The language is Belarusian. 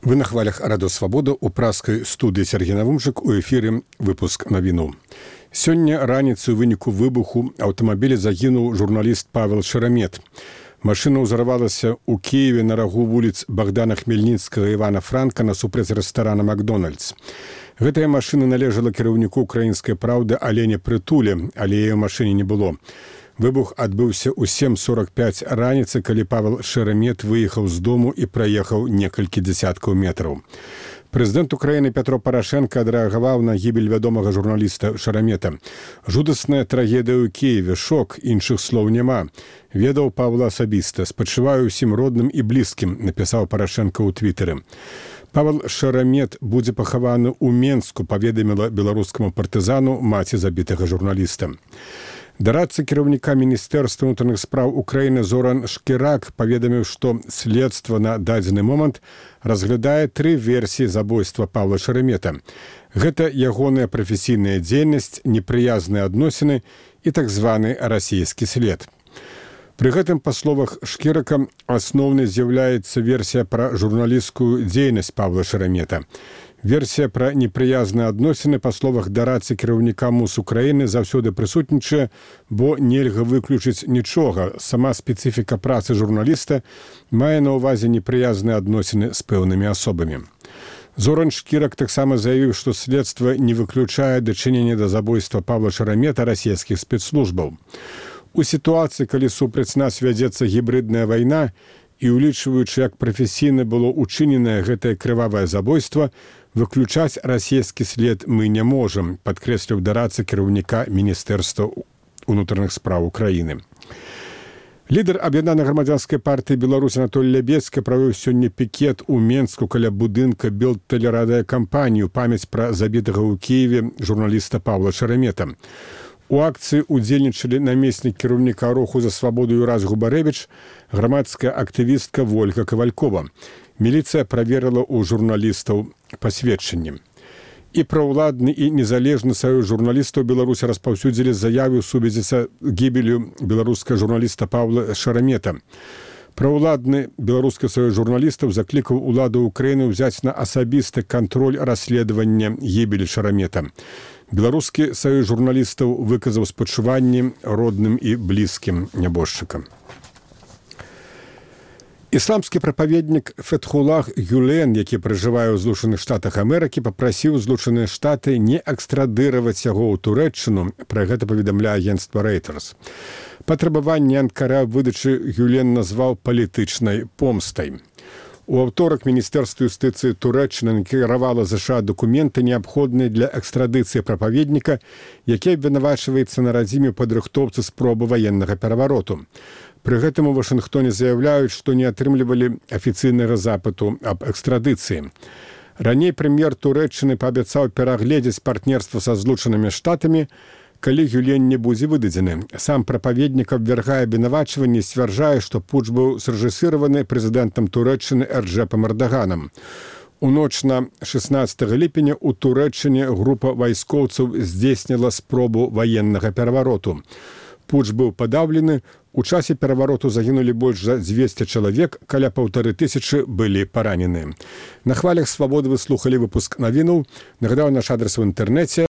Вы на хвалях Радо Свабода у праскай студыі Сергей Навумчык, у эфіры выпуск навіну. Сёння раніцай у выніку выбуху аўтамабіля загінуў журналіст Павел Шерамет. Машына ўзарвалася ў Киеве на рагу вуліц Богдана Хмельніцкага і Івана Франка насупраць рэстарана «Макдональдс». Гэтая машына належала кіраўніку «Украінскай праўды» Алене Прытуле, але яе ў машыне не было. Выбух адбыўся ў 7:45 раніцы, калі Павел Шерамет выехаў з дому і праехаў некалькі дзесяткаў метраў. Прэзідэнт Украіны Пятро Парашенко адрэагаваў на гібель вядомага журналіста Шерамета. Жудасная трагедыя ў Киеве, шок, іншых слоў няма. Ведаў Павла асабіста, спачуваю ўсім родным і блізкім, напісаў Парашенко ў твітары. Павел Шерамет будзе пахаваны ў Менску, паведаміла беларускаму партызану маці забітага журналіста. Дарадца кіраўніка Міністэрства ўнутраных спраў Украіны Зоран Шкірак паведаміў, што следства на дадзены момант разглядае 3 версіі забойства Павла Шерамета. Гэта ягоная прафесійная дзейнасць, непрыязныя адносіны і так званы расійскі след. Пры гэтым, па словах Шкірака, асноўнай з'яўляецца версія пра журналісцкую дзейнасць Павла Шерамета. Версія пра непрыязныя адносіны, па словах дарадцы кіраўніка МУС Украіны, заўсёды прысутнічае, бо нельга выключыць нічога. Сама спецыфіка працы журналіста мае на ўвазе непрыязныя адносіны з пэўнымі асобамі. Зоран Шкірак таксама заявіў, што следства не выключае дачынення да забойства Павла Шерамета расійскіх спецслужбаў. У сітуацыі, калі супраць нас вядзецца гібридная вайна, і улічваючы, як прафесійна было учыненае гэтае крывавае забойства, выключаць расійскі след мы не можам, падкрэсліў дарадца кіраўніка Міністэрства ўнутраных спраў Украіны. Лідар аб'яднанай грамадзянскай партыі Беларусь Анатолій Лябецкі правёў сёння пікет у Менску каля будынка Белтэлерадыёкампаніі ў памяць пра забітага ў Киеве журналіста Павла Шерамета. У акцыі удзельнічалі намеснік кіраўніка руху за свабоду Юрас Губарэвіч, грамадская актывістка Вольга Кавалькова. Міліцыя праверыла ў журналістаў пасведчанні. І праўладны і незалежны саюз журналістаў Беларусі распаўсюдзілі заявы ў сувязі са гібелю беларускага журналіста Павла Шерамета. Праўладны беларускі саюз журналістаў заклікаў уладу Украіны ўзяць на асабісты кантроль расследавання гібелі Шерамета. Беларускі саюз журналістаў выказаў спачуванні родным і блізкім нябожчыкам. Ісламскі прапаведнік Фетхулах Гюлен, які пражывае ў Злучаных Штатах Амерыкі, папрасіў Злучаныя Штаты не экстрадыраваць яго ў Турэччыну, пра гэта паведамляе агенцтва Reuters. Патрабаванне Анкара выдачы Гюлен назваў палітычнай помстай. У аўторак Міністэрства юстыцыі Турэччыны накіравала ЗША дакументы, неабходныя для экстрадыцыі прапаведніка, які абвінавачваецца на радзіме падрыхтоўцы спробы ваеннага перавароту. Пры гэтым у Вашынгтоне заяўляюць, што не атрымлівалі афіцыйнага запыту аб экстрадыцыі. Раней прэм'ер Турэччыны паабяцаў перагледзець партнерства са Злучанымі Штатамі, калі Гюлен не будзе выдадзены. Сам прапаведнік абвяргае абвінавачванні і сцвярджае, што путч быў срэжысіраваны прэзідэнтам Турэччыны Эрджэпам Эрдоганом. У ноч на 16 ліпеня ў Турэччыне група вайскоўцаў здзейсніла спробу ваеннага перавароту. Путч быў падаўлены, у часе перавароту загінулі больш за 200 чалавек, каля 1500 былі параненыя. На хвалях свабоды вы слухалі выпуск навінаў. Нагадаю, наш адрес в інтэрнэце